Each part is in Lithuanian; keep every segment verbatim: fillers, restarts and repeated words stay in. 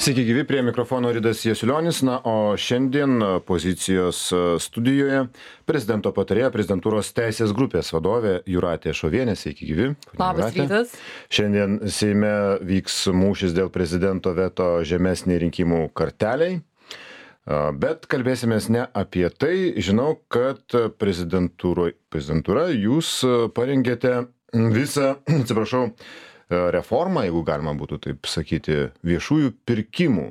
Sveiki gyvi, prie mikrofono Ridas Jasiulionis, na, o šiandien pozicijos studijoje prezidento patarėja prezidentūros teisės grupės vadovė Jūratė Šovienė. Sveiki gyvi. Labas rytas. Šiandien Seime vyks mūšis dėl prezidento veto žemesniai rinkimų karteliai, bet kalbėsimės ne apie tai. Žinau, kad prezidentūra jūs parengėte visą, atsiprašau, reformą, jeigu galima būtų taip sakyti, viešųjų pirkimų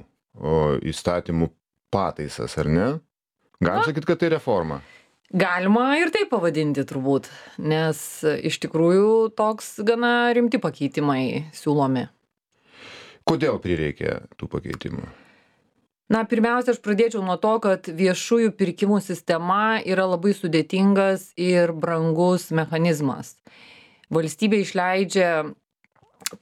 įstatymų pataisas, ar ne? Galim sakyti, kad tai reforma? Galima ir taip pavadinti turbūt, nes iš tikrųjų toks gana rimti pakeitimai siūlomi. Kodėl prireikė tų pakeitimų? Na, pirmiausia, aš pradėčiau nuo to, kad viešųjų pirkimų sistema yra labai sudėtingas ir brangus mechanizmas. Valstybė išleidžia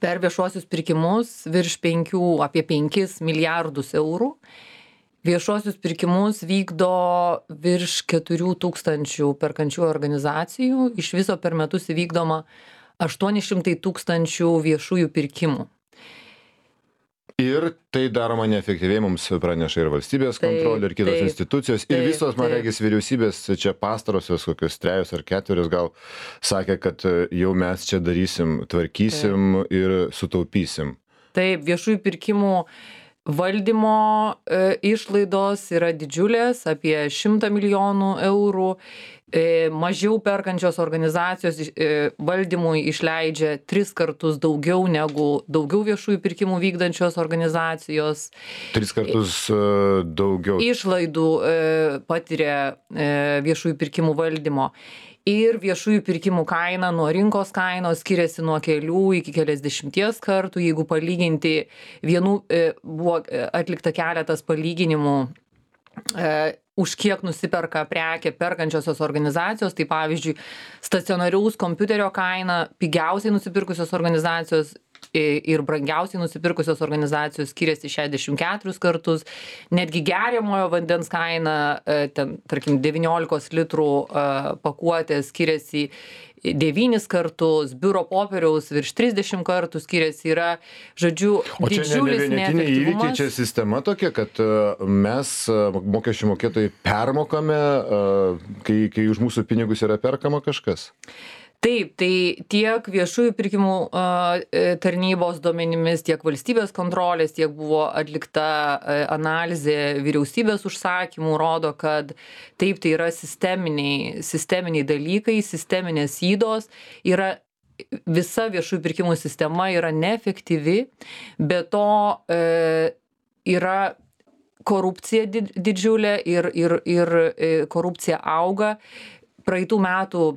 per viešuosius pirkimus virš penkių, apie penkis milijardus eurų. Viešuosius pirkimus vykdo virš keturių tūkstančių perkančių organizacijų. Iš viso per metus įvykdoma aštuoni šimtai tūkstančių viešųjų pirkimų. Ir tai daroma neefektyviai, mums praneša ir valstybės kontrolė, ir kitos taip, institucijos. Ir taip, visos, man taip. regis, vyriausybės čia pastarosios kokius trejus ar keturis gal sakė, kad jau mes čia darysim, tvarkysim taip. Ir sutaupysim. Taip, viešųjų pirkimų valdymo e, išlaidos yra didžiulės, apie šimtą milijonų eurų. E, mažiau perkančios organizacijos e, valdymui išleidžia tris kartus daugiau negu daugiau viešųjų pirkimų vykdančios organizacijos. Tris kartus e, daugiau. Išlaidų e, patiria e, viešųjų pirkimų valdymo. Ir viešųjų pirkimų kaina nuo rinkos kainos skiriasi nuo kelių iki keliasdešimties kartų. Jeigu palyginti, vienų e, buvo atlikta keletas palyginimų, e, už kiek nusiperka prekę perkančiosios organizacijos, tai pavyzdžiui, stacionariaus kompiuterio kaina pigiausiai nusipirkusios organizacijos ir brangiausiai nusipirkusios organizacijos skiriasi šešiasdešimt keturis kartus, netgi geriamojo vandens kaina, ten, tarkim, devyniolikos litrų pakuotė skiriasi devynis kartus, biuro popieriaus virš trisdešimt kartų skiriasi, yra, žodžiu, didžiulis neefektyvumas. O čia ne vienetiniai įvykiai, čia sistema tokia, kad mes, mokesčių mokėtojai, permokame, kai, kai už mūsų pinigus yra perkama kažkas? Taip, tai tiek viešųjų pirkimų tarnybos duomenimis, tiek valstybės kontrolės, tiek buvo atlikta analizė vyriausybės užsakymų, rodo, kad taip, tai yra sisteminiai, sisteminiai dalykai, sisteminės ydos, yra visa viešųjų pirkimų sistema yra neefektyvi, be to e, yra korupcija didžiulė ir, ir, ir korupcija auga. Praeitų metų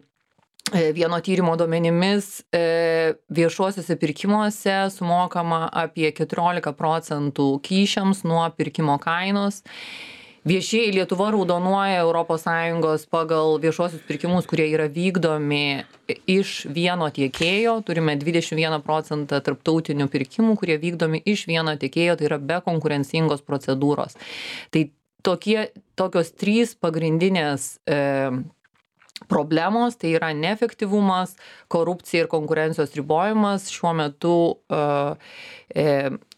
vieno tyrimo duomenimis viešuosiuose pirkimuose sumokama apie keturiolika procentų kyšiams nuo pirkimo kainos. Viešieji Lietuva raudonuoja Europos Sąjungos pagal viešuosius pirkimus, kurie yra vykdomi iš vieno tiekėjo. Turime dvidešimt vieną procentą tarptautinių pirkimų, kurie vykdomi iš vieno tiekėjo, tai yra be konkurencingos procedūros. Tai tokie, tokios trys pagrindinės e, problemos, tai yra neefektyvumas, korupcija ir konkurencijos ribojimas šiuo metu, e,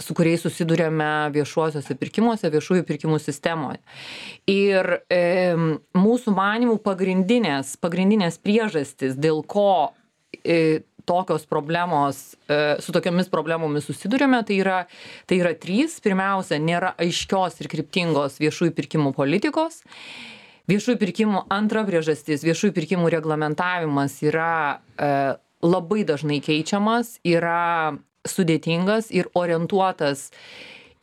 su kuriais susidurėme viešuosiuose pirkimuose, viešųjų pirkimų sistemoje. Ir e, mūsų manymų pagrindinės, pagrindinės priežastys, dėl ko e, tokios problemos, e, su tokiamis problemomis susidurėme, tai yra, tai yra trys. Pirmiausia, nėra aiškios ir kryptingos viešųjų pirkimų politikos. Viešųjų pirkimų antra priežastis, viešųjų pirkimų reglamentavimas yra e, labai dažnai keičiamas, yra sudėtingas ir orientuotas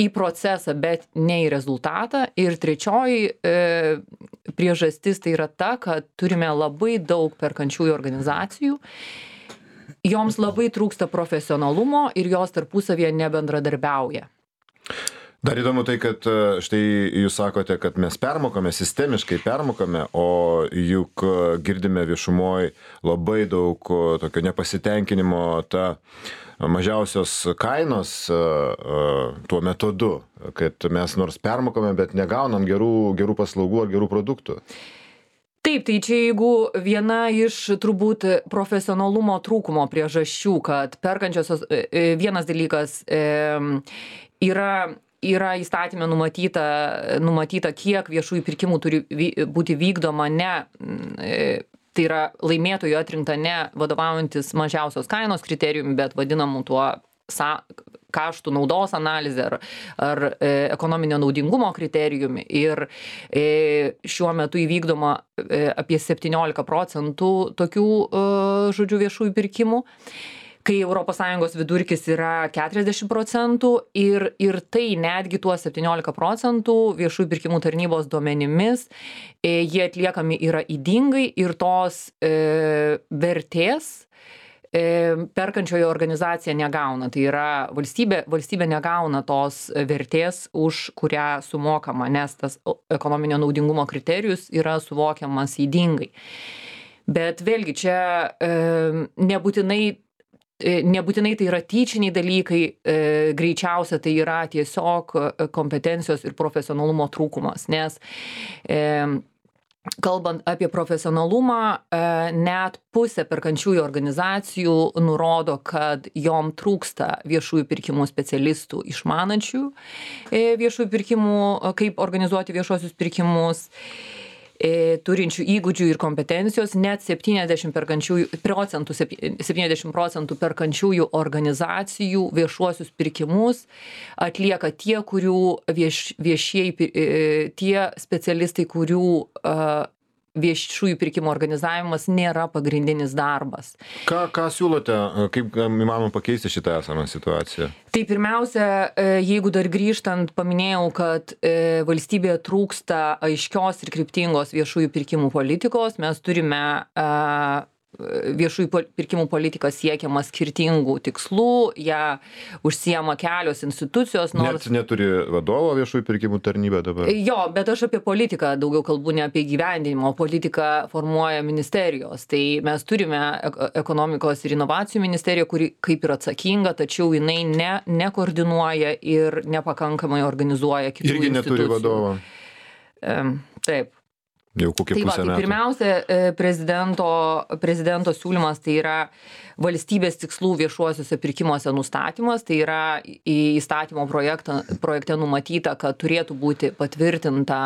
į procesą, bet ne į rezultatą. Ir trečioji e, priežastis tai yra ta, kad turime labai daug perkančiųjų organizacijų. Joms labai trūksta profesionalumo ir jos tarpusavyje nebendradarbiauja. Dar įdomu tai, kad štai jūs sakote, kad mes permokame, sistemiškai permokame, o juk girdime viešumoje labai daug tokio nepasitenkinimo ta mažiausios kainos tuo metodu, kad mes nors permokame, bet negaunam gerų, gerų paslaugų ar gerų produktų. Taip, tai čia jeigu viena iš turbūt profesionalumo trūkumo priežasčių, kad perkančiosios, vienas dalykas yra yra įstatyme numatyta, numatyta, kiek viešųjų pirkimų turi vy, būti vykdoma ne, tai yra laimėtojų atrinkta ne vadovaujantis mažiausios kainos kriterijumi, bet vadinamu tuo sa, kaštų naudos analizė ar, ar e, ekonominio naudingumo kriterijumi. Ir e, šiuo metu įvykdoma e, apie septyniolika procentų tokių, e, žodžiu, viešųjų pirkimų, kai Europos Sąjungos vidurkis yra keturiasdešimt procentų ir, ir tai netgi tuo septyniolika procentų viešųjų pirkimų tarnybos duomenimis e, jie atliekami yra ydingai ir tos e, vertės perkančioji organizacija negauna. Tai yra valstybė, valstybė negauna tos vertės, už kurią sumokama, nes tas ekonominio naudingumo kriterijus yra suvokiamas ydingai. Bet vėlgi čia e, nebūtinai, e, nebūtinai tai yra tyčiniai dalykai, e, greičiausia tai yra tiesiog kompetencijos ir profesionalumo trūkumas, nes e, kalbant apie profesionalumą, net pusė perkančiųjų organizacijų nurodo, kad jom trūksta viešųjų pirkimų specialistų išmanančių viešųjų pirkimų, kaip organizuoti viešuosius pirkimus, turinčių įgūdžių ir kompetencijos, net septyniasdešimt procentų, septyniasdešimt procentų perkančiųjų organizacijų viešuosius pirkimus atlieka tie, kurių vieš, viešieji, tie specialistai, kurių uh, viešųjų pirkimų organizavimas nėra pagrindinis darbas. Ką, ką siūlote, kaip įmanoma pakeisti šitą esamą situaciją? Tai pirmiausia, jeigu dar grįžtant, paminėjau, kad valstybėje trūksta aiškios ir kryptingos viešųjų pirkimų politikos, mes turime viešųjų pirkimų politika siekiama skirtingų tikslų, ją užsiema kelios institucijos. Nors... Net neturi vadovo viešųjų pirkimų tarnybė dabar. Jo, bet aš apie politiką daugiau kalbu, ne apie gyvendinimo. Politiką formuoja ministerijos. Tai mes turime ekonomikos ir inovacijų ministeriją, kuri kaip ir atsakinga, tačiau jinai ne, nekoordinuoja ir nepakankamai organizuoja kitų Irgi institucijų. Irgi neturi vadovo. Um, taip. Jau kokį tai pusę va, tai metų. Pirmiausia, prezidento, prezidento siūlymas tai yra valstybės tikslų viešuosiuose pirkimuose nustatymas, tai yra į įstatymo projektą, projekte numatyta, kad turėtų būti patvirtinta,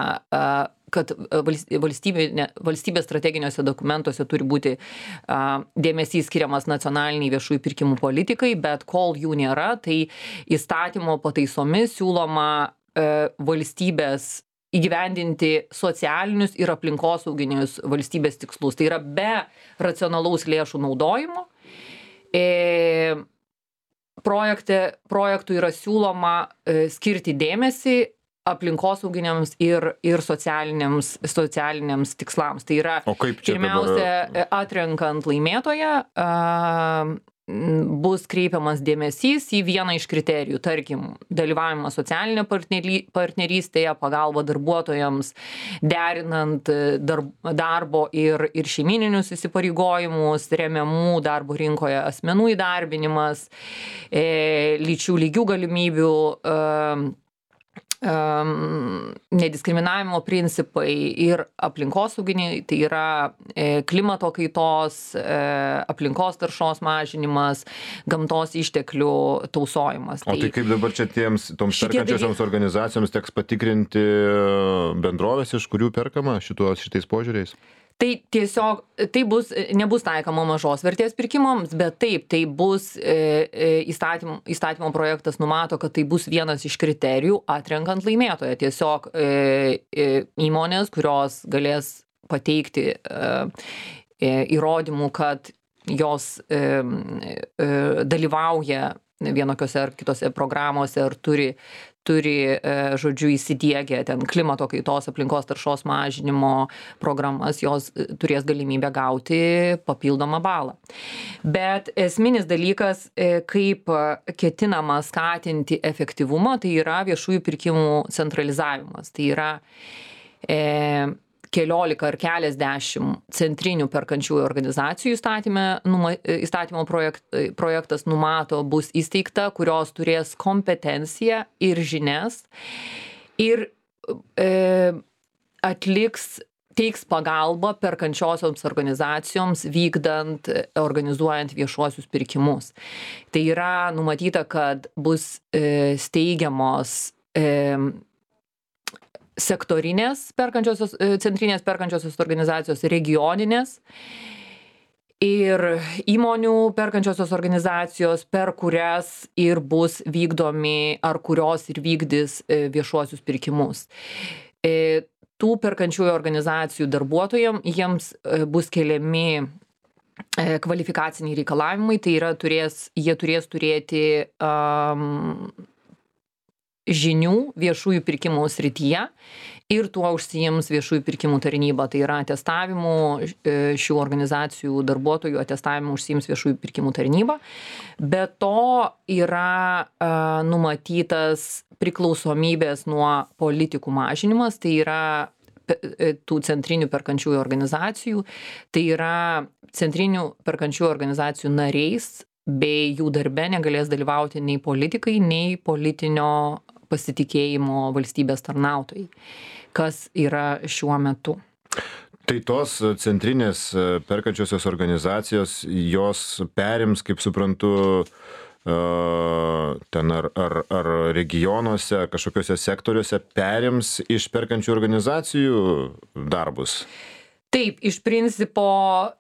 kad valstybė, valstybės strateginiuose dokumentuose turi būti dėmesys skiriamas nacionaliniai viešųjų pirkimų politikai, bet kol jų nėra, tai įstatymo pataisomis siūloma valstybės įgyvendinti socialinius ir aplinkosauginius valstybės tikslus. Tai yra be racionalaus lėšų naudojimo. E, projekte, projektų yra siūloma e, skirti dėmesį aplinkosauginiams ir, ir socialiniams, socialiniams tikslams. Tai yra pirmiausia dabar... atrenkant laimėtoją, a, bus kreipiamas dėmesys į vieną iš kriterijų, tarkim, dalyvavimą socialinė partnerystėje, pagalba darbuotojams, derinant darb, darbo ir, ir šeimininius įsipareigojimus, remiamų darbo rinkoje asmenų įdarbinimas, e, lyčių lygių galimybių, e, Um, nediskriminavimo principai ir aplinkosauginiai, tai yra e, klimato kaitos, e, aplinkos taršos mažinimas, gamtos išteklių tausojimas. O tai, tai kaip dabar čia tiems, toms perkančiosioms daly... organizacijoms teks patikrinti bendrovės, iš kurių perkama šituos, šitais požiūriais? Tai tiesiog, tai bus, nebus taikoma mažos vertės pirkimams, bet taip, tai bus e, įstatymo, įstatymo projektas numato, kad tai bus vienas iš kriterijų atrenkant laimėtoją. Tiesiog e, e, įmonės, kurios galės pateikti e, e, įrodymų, kad jos e, e, dalyvauja vienokiose ar kitose programuose ar turi turi, žodžiu, įsidiegę ten klimato kaitos, aplinkos taršos mažinimo programas, jos turės galimybę gauti papildomą balą. Bet esminis dalykas, kaip ketinama skatinti efektyvumą, tai yra viešųjų pirkimų centralizavimas. Tai yra e, keliolika ar keliasdešimt centrinių perkančiųjų organizacijų įstatyme, numa, įstatymo projekt, projektas numato bus įsteigta, kurios turės kompetenciją ir žinias ir e, atliks, teiks pagalbą perkančiosioms organizacijoms vykdant, organizuojant viešuosius pirkimus. Tai yra numatyta, kad bus e, steigiamos e, sektorinės perkančiosios, centrinės perkančiosios organizacijos, regioninės ir įmonių perkančiosios organizacijos, per kurias ir bus vykdomi, ar kurios ir vykdys viešuosius pirkimus. Tų perkančiųjų organizacijų darbuotojams jiems bus keliami kvalifikaciniai reikalavimai, tai yra turės, jie turės turėti um, žinių viešųjų pirkimų srityje ir tuo užsiims viešųjų pirkimų tarnyba. Tai yra atestavimu šių organizacijų darbuotojų atestavimu užsiims viešųjų pirkimų tarnyba. Be to yra uh, numatytas priklausomybės nuo politikų mažinimas, tai yra tų centrinių perkančiųjų organizacijų, tai yra centrinių perkančiųjų organizacijų nariais bei jų darbe negalės dalyvauti nei politikai, nei politinio pasitikėjimo valstybės tarnautojai, kas yra šiuo metu. Tai tos centrinės perkančiosios organizacijos, jos perims, kaip suprantu, ten ar, ar, ar regionuose, kažkokiuose sektoriuose perims iš perkančių organizacijų darbus? Taip, iš principo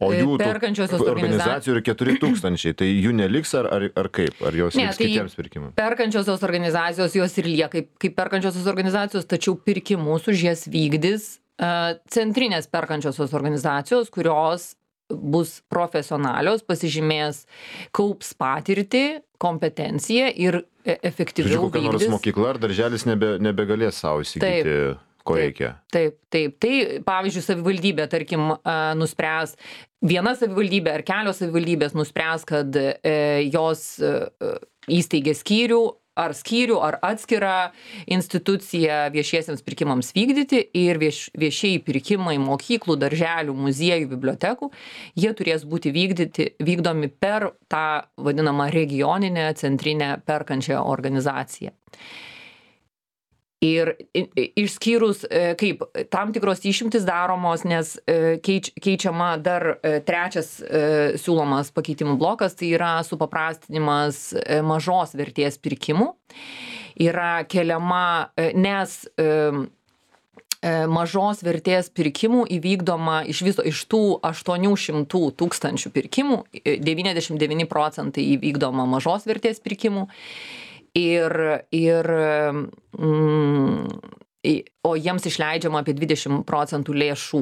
o jų perkančiosios organizacijų yra keturi tūkstančiai, tai jų neliks ar, ar, ar kaip? Ar jos ne, liks tai kitiems pirkimams? Perkančiosios organizacijos jos ir lieka kaip, kaip perkančiosios organizacijos, tačiau pirkimus už jas vykdys uh, centrinės perkančiosios organizacijos, kurios bus profesionalios, pasižymės, kaups patirtį, kompetenciją ir efektyviau vykdys. Kokia nors mokykla ar darželis nebe, nebegalės savo įsigyti, taip, ko reikia. Taip, taip. Tai, pavyzdžiui, savivaldybė, tarkim, nuspręs, viena savivaldybė ar kelios savivaldybės nuspręs, kad jos įsteigė skyrių, ar skyrių, ar atskirą instituciją viešiesiems pirkimams vykdyti ir vieš, viešieji pirkimai mokyklų, darželių, muziejų, bibliotekų, jie turės būti vykdyti, vykdomi per tą vadinamą regioninę centrinę perkančią organizaciją. Ir išskyrus, kaip tam tikros išimtis daromos, nes keič, keičiama dar trečias siūlomas pakeitimų blokas, tai yra supaprastinimas mažos vertės pirkimų. Yra keliama, nes mažos vertės pirkimų įvykdoma iš viso, iš tų aštuonių šimtų tūkstančių pirkimų, devyniasdešimt devyni procentai įvykdoma mažos vertės pirkimų. Ir, ir mm, o jiems išleidžiama apie dvidešimt procentų lėšų.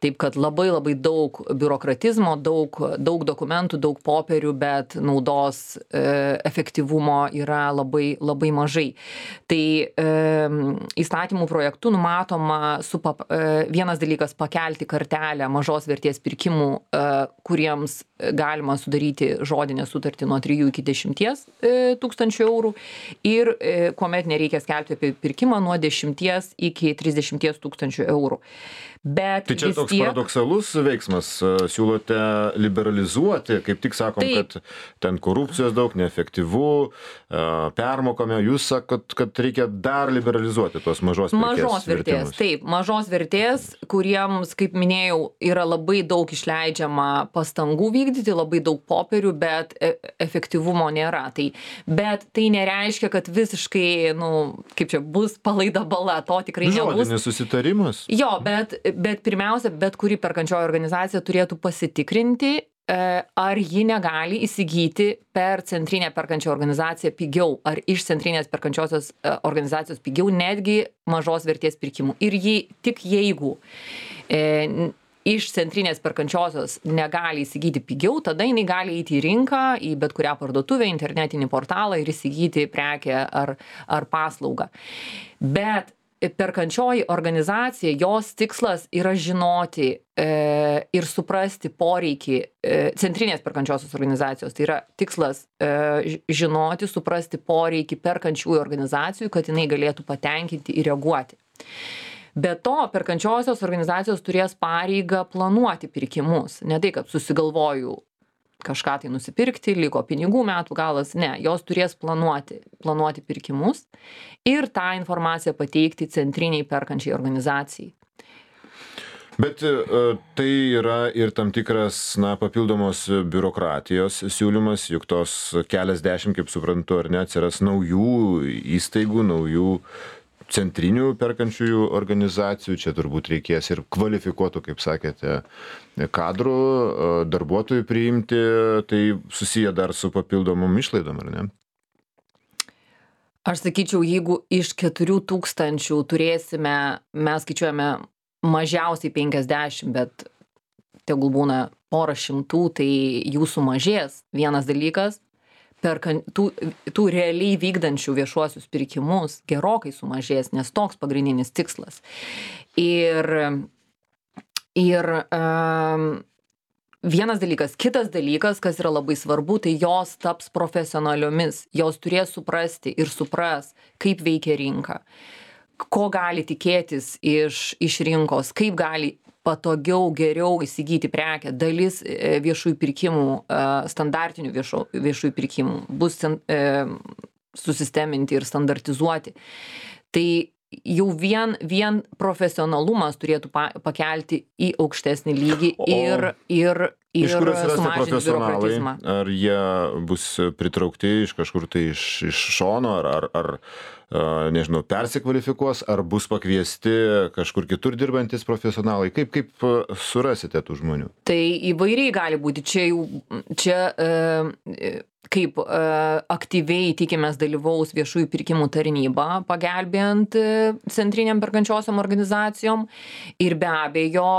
Taip kad labai labai daug biurokratizmo, daug, daug dokumentų, daug popierių, bet naudos e, efektyvumo yra labai, labai mažai. Tai e, įstatymų projektų numatoma supap, e, vienas dalykas pakelti kartelę mažos vertės pirkimų, e, kuriems galima sudaryti žodinę sutartį nuo trijų iki dešimties tūkstančių eurų ir e, kuomet nereikia skelbti apie pirkimą nuo dešimties iki trisdešimties tūkstančių eurų. Bet tai čia toks tiek... paradoksalus veiksmas, siūlote liberalizuoti, kaip tik sakom, taip, kad ten korupcijos daug, neefektyvu, permokame, jūs sakot, kad reikia dar liberalizuoti tos mažos vertės. Mažos vertės, vertimus. Taip, mažos vertės, kuriems, kaip minėjau, yra labai daug išleidžiama pastangų vykdyti, labai daug popierių, bet efektyvumo nėra. Tai, bet tai nereiškia, kad visiškai, nu, kaip čia, bus palaida bala, to tikrai nebus. Žodinis susitarimas. Jo, bet Bet pirmiausia, bet kuri perkančioji organizacija turėtų pasitikrinti, ar ji negali įsigyti per centrinę perkančią organizaciją pigiau, ar iš centrinės perkančiosios organizacijos pigiau, netgi mažos vertės pirkimų. Ir jį, tik jeigu e, iš centrinės perkančiosios negali įsigyti pigiau, tada jinai gali eiti į rinką, į bet kurią parduotuvę, internetinį portalą ir įsigyti prekę ar, ar paslaugą. Bet perkančioji organizacija, jos tikslas yra žinoti e, ir suprasti poreikį e, centrinės perkančiosios organizacijos. Tai yra tikslas e, žinoti, suprasti poreikį perkančiųjų organizacijų, kad jinai galėtų patenkinti ir reaguoti. Be to, perkančiosios organizacijos turės pareigą planuoti pirkimus. Ne tai, kad susigalvoju kažką tai nusipirkti, liko pinigų metų galas, ne, jos turės planuoti, planuoti pirkimus ir tą informaciją pateikti centriniai perkančiai organizacijai. Bet tai yra ir tam tikras, na, papildomos biurokratijos siūlymas, juk tos keliasdešimt, kaip suprantu, ar ne, atsiras naujų įstaigų, naujų centrinių perkančiųjų organizacijų, čia turbūt reikės ir kvalifikuotų, kaip sakėte, kadrų, darbuotojų priimti, tai susiję dar su papildomom išlaidom, ar ne? Aš sakyčiau, jeigu iš keturių tūkstančių turėsime, mes skaičiuojame mažiausiai penkiasdešimt, bet tegul būna porą šimtų, tai jų sumažės. Vienas dalykas, per tų, tų realiai vykdančių viešuosius pirkimus gerokai sumažės, nes toks pagrindinis tikslas. Ir, ir um, vienas dalykas. Kitas dalykas, kas yra labai svarbu, tai jos taps profesionaliomis. Jos turės suprasti ir supras, kaip veikia rinka, ko gali tikėtis iš, iš rinkos, kaip gali patogiau, geriau įsigyti prekę. Dalis viešųjų pirkimų, standartinių viešo, viešųjų pirkimų bus e, susisteminti ir standartizuoti. Tai jau vien, vien profesionalumas turėtų pa, pakelti į aukštesnį lygį ir, ir, ir iš kur atsirasti sumažinti profesionalai? biurokratizmą. Ar jie bus pritraukti iš kažkur tai iš, iš šono, ar, ar, ar nežinau, persikvalifikuos, ar bus pakviesti kažkur kitur dirbantis profesionalai? Kaip, kaip surasite tų žmonių? Tai įvairiai gali būti. Čia jau, čia e, kaip e, aktyviai tikimės dalyvaus viešųjų pirkimų tarnyba, pagelbėjant e, centriniam perkančiosiom organizacijom. Ir be abejo,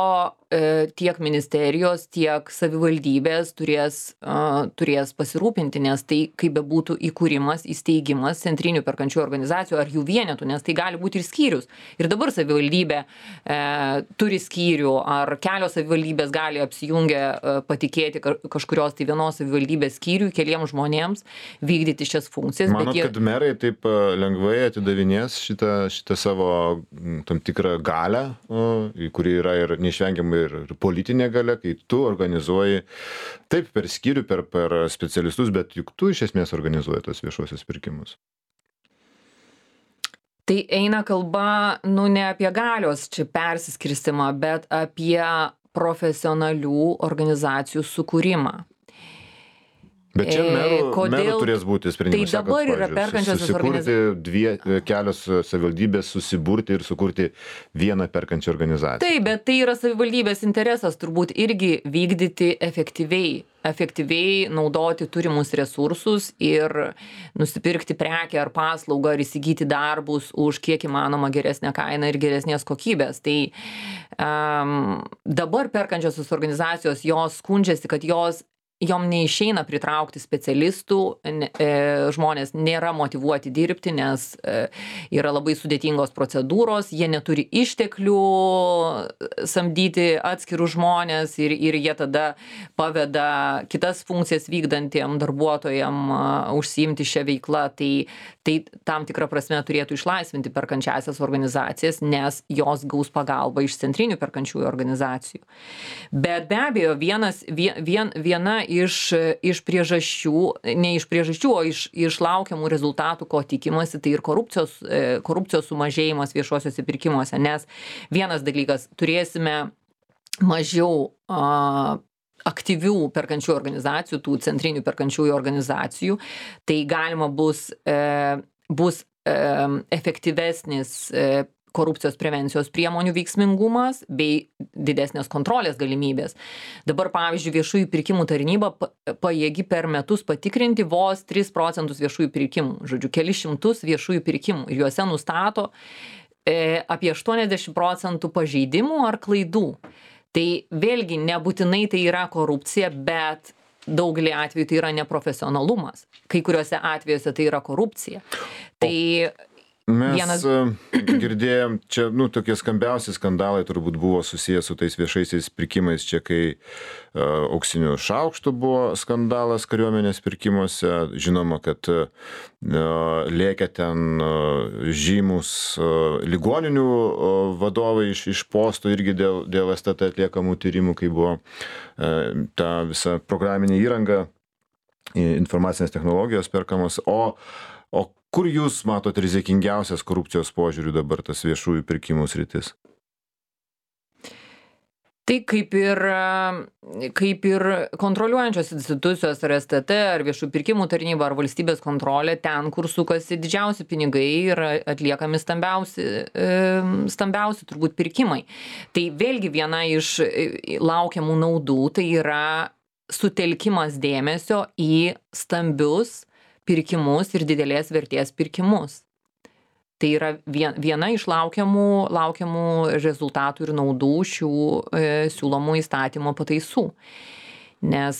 e, tiek ministerijos, tiek savivaldybės turės, e, turės pasirūpinti, nes tai, kaip bebūtų įkūrimas, įsteigimas centrinių perkančių organizacijų ar jų vienetų, nes tai gali būti ir skyrius. Ir dabar savivaldybė e, turi skyrių, ar kelios savivaldybės gali apsijungę e, patikėti kažkurios tai vienos savivaldybės skyrių keliems žmonėms vykdyti šias funkcijas. Manot, bet jie... kad merai taip lengvai atidavinės šitą, šitą savo tam tikrą galę, kuri yra ir neišvengiamai ir, ir politinė galia, kai tu organizuoji taip per skyrių, per, per specialistus, bet juk tu iš esmės organizuoji tos viešuosius pirkimus. Tai eina kalba, nu, ne apie galios čia persiskirstimą, bet apie profesionalių organizacijų sukūrimą. Bet čia merų, Kodėl... merų turės būti sprendimas. Tai dabar sakot, yra perkančiosios organizacijos. Dvie, kelios savivaldybės susiburti ir sukurti vieną perkančią organizaciją. Taip, bet tai yra savivaldybės interesas turbūt irgi vykdyti efektyviai. efektyviai naudoti turimus resursus ir nusipirkti prekę ar paslaugą ar įsigyti darbus už kiek įmanoma geresnę kainą ir geresnės kokybės. Tai um, dabar perkančiosios organizacijos, jos skundžiasi, kad jos jom neišeina pritraukti specialistų, e, žmonės nėra motyvuoti dirbti, nes e, yra labai sudėtingos procedūros, jie neturi išteklių samdyti atskirų žmonės ir, ir jie tada paveda kitas funkcijas vykdantiem darbuotojam a, užsiimti šią veiklą. Tai, tai tam tikrą prasme turėtų išlaisvinti perkančiasias organizacijas, nes jos gaus pagalbą iš centrinių perkančiųjų organizacijų. Bet be abejo, vienas, vien, vien, viena iš, iš priežasčių, ne iš priežasčių, o iš, iš laukiamų rezultatų, ko tikimasi, tai ir korupcijos, korupcijos sumažėjimas viešuosiuose pirkimuose, nes vienas dalykas, turėsime mažiau a, aktyvių perkančių organizacijų, tų centrinių perkančiųjų organizacijų, tai galima bus, e, bus e, efektyvesnis e, korupcijos prevencijos priemonių veiksmingumas bei didesnės kontrolės galimybės. Dabar, pavyzdžiui, viešųjų pirkimų tarnyba pajėgi per metus patikrinti vos tris procentus viešųjų pirkimų, žodžiu, kelis šimtus viešųjų pirkimų. Ir juose nustato e, apie aštuoniasdešimt procentų pažeidimų ar klaidų. Tai vėlgi nebūtinai tai yra korupcija, bet daugelį atvejų tai yra neprofesionalumas. Kai kuriuose atvejuose tai yra korupcija. Tai Mes vienas... girdėjom, čia, nu, tokie skambiausi skandalai turbūt buvo susijęs su tais viešaisiais pirkimais, čia kai uh, auksinių šaukštų buvo skandalas kariuomenės pirkimuose, žinoma, kad uh, lėkė ten uh, žymus uh, ligoninių uh, vadovai iš, iš postų irgi dėl, dėl S T T atliekamų tyrimų, kai buvo uh, ta visa programinė įranga, informacinės technologijos perkamos, o, o kur jūs matot rizikingiausias korupcijos požiūrių dabar tas viešųjų pirkimų sritis? Tai kaip ir, kaip ir kontroliuojančios institucijos, ar S T T, ar viešų pirkimų tarnyba, ar valstybės kontrolė, ten, kur sukasi didžiausi pinigai, yra atliekami stambiausi, stambiausi turbūt pirkimai. Tai vėlgi viena iš laukiamų naudų, tai yra sutelkimas dėmesio į stambius pirkimus ir didelės vertės pirkimus. Tai yra viena iš laukiamų, laukiamų rezultatų ir naudų šių e, siūlomų įstatymo pataisų. Nes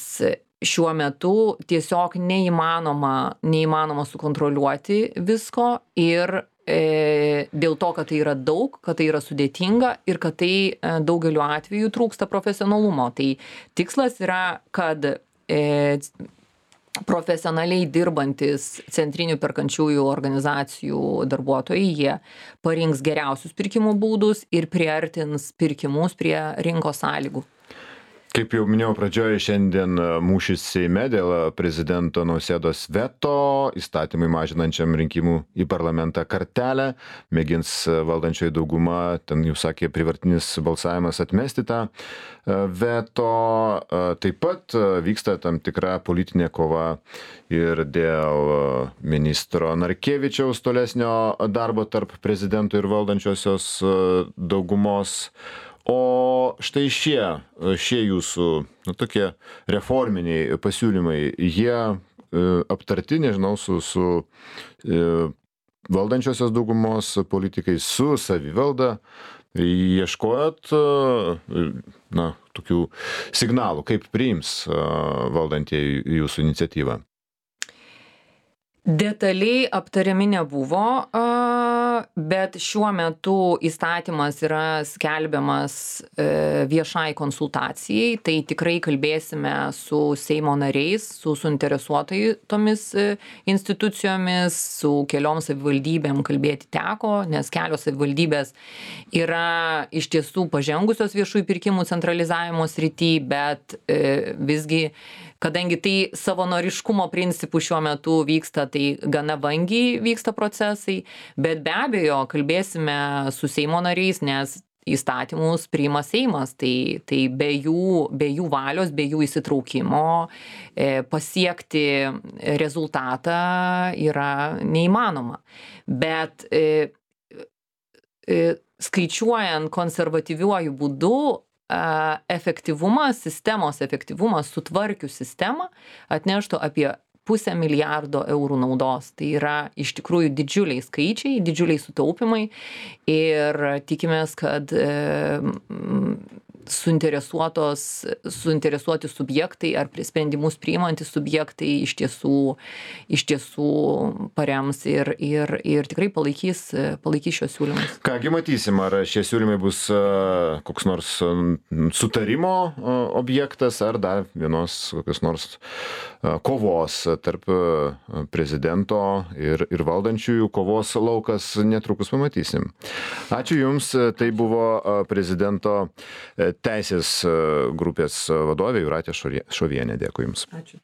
šiuo metu tiesiog neįmanoma, neįmanoma sukontroliuoti visko ir e, dėl to, kad tai yra daug, kad tai yra sudėtinga ir kad tai e, daugeliu atveju trūksta profesionalumo. Tai tikslas yra, kad e, profesionaliai dirbantis centrinių perkančiųjų organizacijų darbuotojai, jie parinks geriausius pirkimų būdus ir priartins pirkimus prie rinkos sąlygų. Kaip jau minėjau pradžioje, šiandien mūšis Seime dėl prezidento Nausėdos veto įstatymui mažinančiam rinkimų į parlamentą kartelę. Mėgins valdančioji dauguma, ten jau sakė, privartinis balsavimas atmesti tą veto. Taip pat vyksta tam tikra politinė kova ir dėl ministro Narkevičiaus tolesnio darbo tarp prezidento ir valdančiosios daugumos. O štai šie, šie jūsų nu, tokie reforminiai pasiūlymai, jie e, aptarti, nežinau, su, su e, valdančiosios daugumos politikais, su savivalda, ieškojot e, na, tokių signalų, kaip priims e, valdantieji jūsų iniciatyvą? Detaliai aptariami nebuvo, bet šiuo metu įstatymas yra skelbiamas viešai konsultacijai, tai tikrai kalbėsime su Seimo nariais, su suinteresuotomis institucijomis, su keliom savivaldybėm kalbėti teko, nes kelios savivaldybės yra iš tiesų pažengusios viešųjų pirkimų centralizavimo srity, bet visgi kadangi tai savanoriškumo principų šiuo metu vyksta, tai gana vangiai vyksta procesai, bet be abejo kalbėsime su Seimo nariais, nes įstatymus priima Seimas, tai, tai be, jų, be jų valios, be jų įsitraukimo e, pasiekti rezultatą yra neįmanoma. Bet e, e, skaičiuojant konservatyviuoju būdu, efektyvumas, sistemos efektyvumas sutvarkius sistemą atneštų apie pusę milijardo eurų naudos. Tai yra iš tikrųjų didžiuliai skaičiai, didžiuliai sutaupimai ir tikimės, kad e, suinteresuotos, suinteresuoti subjektai ar sprendimus priimantys subjektai iš tiesų, iš tiesų parems ir, ir, ir tikrai palaikys, palaikys šios siūlymus. Kągi matysim, ar šie siūlymai bus koks nors sutarimo objektas, ar dar vienos kokios nors kovos tarp prezidento ir, ir valdančiųjų kovos laukas, netrukus pamatysim. Ačiū Jums, tai buvo prezidento teisės grupės vadovė Jūratė Šovienė. Dėkui Jums. Ačiū.